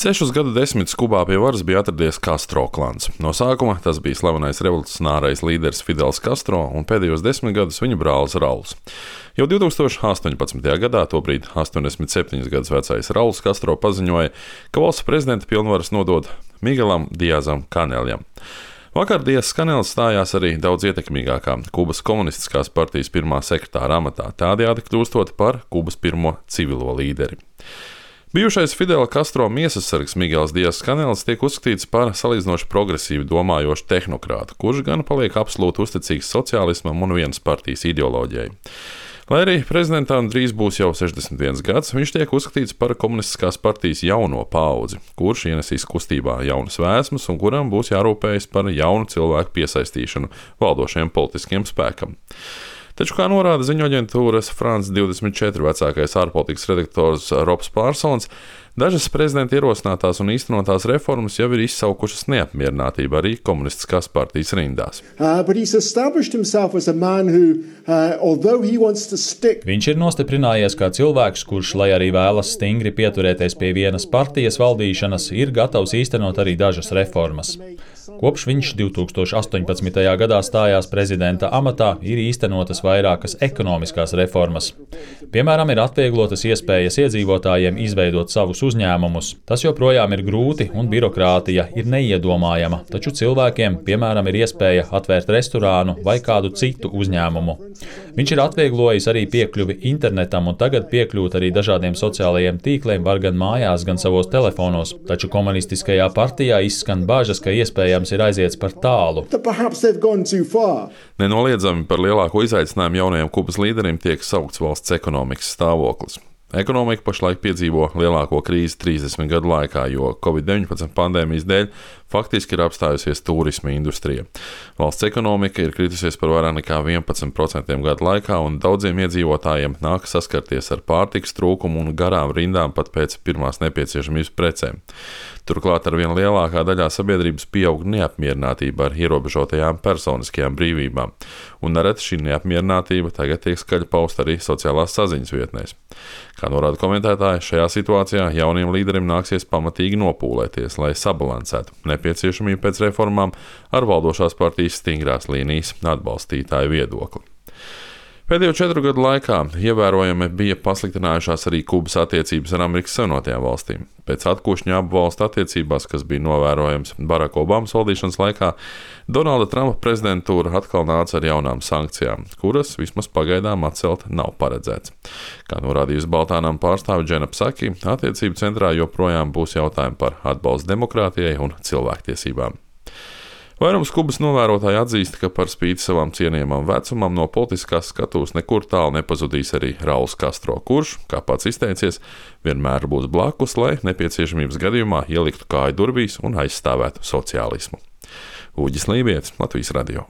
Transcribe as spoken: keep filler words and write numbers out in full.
Sešus gadu desmitus Kubā pie varas bija atradies Castro klans. No sākuma tas bija slavenais revolucionārais līderis Fidels Castro un pēdējos desmit gadus viņa brālis Rauls. Jau divtūkstoš astoņpadsmitajā gadā, tobrīd astoņdesmit septiņus gadus vecais Rauls Castro paziņoja, ka valsts prezidenta pilnvaras nodod Miguelam Diazam Kaneljam. Vakar Diazs Kanels stājās arī daudz ietekmīgākā Kubas komunistiskās partijas pirmā sekretāra amatā, tādējādi kļūstot par Kubas pirmo civilo līderi. Bijušais Fidela Castro miesasargs Miguels Diazs Kanels tiek uzskatīts par salīdzinoši progresīvi domājošu tehnokrātu, kurš gan paliek absolūti uzticīgs sociālismam un vienas partijas ideoloģijai. Lai arī prezidentam drīz būs jau sešdesmit viens gads, viņš tiek uzskatīts par komunistiskās partijas jauno paudzi, kurš ienesīs kustībā jaunas vēsmas un kuram būs jārūpējas par jaunu cilvēku piesaistīšanu valdošajam politiskiem spēkam. Taču, kā norāda ziņu aģentūras France divdesmit četri vecākais ārpolitikas redaktors Robs Pārsons, dažas prezidenta ierosinātās un īstenotās reformas jau ir izsaukušas neapmierinātību arī komunistiskās partijas rindās. Uh, who, uh, stick... Viņš ir nostiprinājies kā cilvēks, kurš, lai arī vēlas stingri pieturēties pie vienas partijas valdīšanas, ir gatavs īstenot arī dažas reformas. Kopš viņš divtūkstoš astoņpadsmitajā gadā stājās prezidenta amatā, ir īstenotas vairākas ekonomiskās reformas. Piemēram, ir atvieglotas iespējas iedzīvotājiem izveidot savus uzņēmumus. Tas joprojām ir grūti un birokrātija ir neiedomājama, taču cilvēkiem, piemēram, ir iespēja atvērt restorānu vai kādu citu uzņēmumu. Viņš ir atvieglojis arī piekļuvi internetam un tagad piekļūt arī dažādiem sociālajiem tīkliem var gan mājās, gan savos telefonos. Taču komunistiskajā partijā izskan bažas, ka iespējams ir aiziets par tālu. Nenoliedzami par lielāko izaicinājumu jaunajam Kubas līderim tiek saukts valsts ekonomikas stāvoklis. Ekonomika pašlaik piedzīvo lielāko krīzi trīsdesmit gadu laikā, jo covid deviņpadsmit pandēmijas dēļ faktiski ir apstājusies turisma industrija. Valsts ekonomika ir kritusies par vairāk nekā vienpadsmit procentiem gadu laikā, un daudziem iedzīvotājiem nāk saskarties ar pārtikas trūkumu un garām rindām pat pēc pirmās nepieciešamības precēm. Turklāt ar vien lielākā daļā sabiedrības pieaug neapmierinātība ar ierobežotajām personiskajām brīvībām, un nereti šī neapmierinātība tagad tiek skaļi pausta arī sociālās saziņas vietnēs. Kā norāda komentētāji, šajā situācijā jauniem līderim nāksies pamatīgi nopūlēties, lai sabalansētu nepieciešamību pēc reformām ar valdošās partijas stingrās līnijas atbalstītāju viedokli. Pēdējo četru gadu laikā ievērojami bija pasliktinājušās arī Kubas attiecības ar Amerikas Savienotajām valstīm. Pēc atkošņa abu valstu attiecībās, kas bija novērojams Baraka Obamas valdīšanas laikā, Donalda Trumpa prezidentūra atkal nāca ar jaunām sankcijām, kuras vismaz pagaidām atcelt nav paredzēts. Kā norādījusi Baltānām pārstāve Džena Psaki, attiecību centrā joprojām būs jautājumi par atbalstu demokrātijai un cilvēktiesībām. Vairums Kubas novērotāji atzīst, ka par spīti savam cienījamam vecumam no politiskās skatuves nekur tālu nepazudīs arī Rauls Castro, kurš, kā pats izteicies, vienmēr būs blakus, lai nepieciešamības gadījumā ieliktu kāju durvīs un aizstāvētu sociālismu. Uģis Lībietis, Latvijas radio.